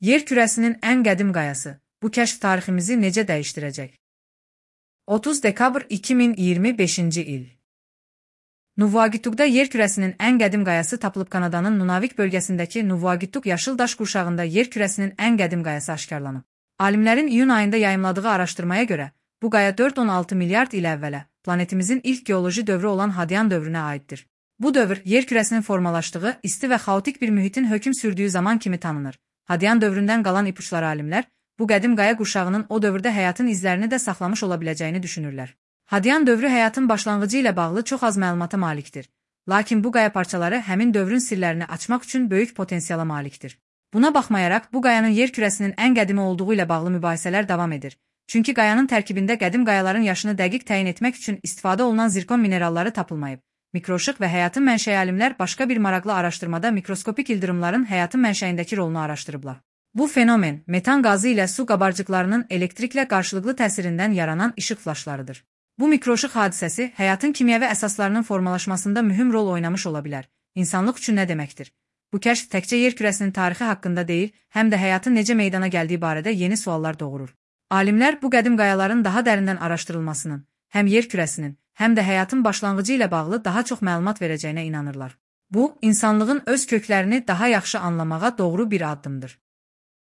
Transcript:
Yer kürəsinin ən qədim qayası. Bu kəşf tariximizi necə dəyişdirəcək? 30 dekabr 2025-ci il. Nuvuagittuqda yer kürəsinin ən qədim qayası tapılıb. Kanadanın Nunavik bölgəsindəki Nuvuagittuq yaşıl daş qurşağında yer kürəsinin ən qədim qayası aşkarlanıb. Alimlərin iyun ayında yayımladığı araşdırmaya görə, bu qaya 4-16 milyard il əvvələ, planetimizin ilk geoloji dövrü olan Hadian dövrünə aiddir. Bu dövr, yer kürəsinin formalaşdığı, isti və xaotik bir mühitin hökm sürdüyü zaman kimi tanınır. Hadian dövründən qalan ipuçları alimlər, bu qədim qaya qurşağının o dövrdə həyatın izlərini də saxlamış ola biləcəyini düşünürlər. Hadian dövrü həyatın başlanğıcı ilə bağlı çox az məlumata malikdir. Lakin bu qaya parçaları həmin dövrün sirlərini açmaq üçün böyük potensiala malikdir. Buna baxmayaraq, bu qayanın yer kürəsinin ən qədimi olduğu ilə bağlı mübahisələr davam edir. Çünki qayanın tərkibində qədim qayaların yaşını dəqiq təyin etmək üçün istifadə olunan zirkon mineralları tapılmayıb. Mikroşıq və həyatın mənşəyi alimlər başqa bir maraqlı araşdırmada mikroskopik ildırımların həyatın mənşəyindəki rolunu araşdırıblar. Bu fenomen, metan qazı ilə su qabarcıqlarının elektriklə qarşılıqlı təsirindən yaranan işıq flaşlarıdır. Bu mikroşıq hadisəsi həyatın kimyəvi əsaslarının formalaşmasında mühüm rol oynamış ola bilər. İnsanlıq üçün nə deməkdir? Bu kəşf təkcə yer kürəsinin tarixi haqqında deyil, həm də həyatın necə meydana gəldiyi barədə yeni suallar doğurur. Alimlər bu qədim qayaların daha dərindən araşdırılmasının, həm yer kürəsinin, həm də həyatın başlanğıcı ilə bağlı daha çox məlumat verəcəyinə inanırlar. Bu, insanlığın öz köklərini daha yaxşı anlamağa doğru bir addımdır.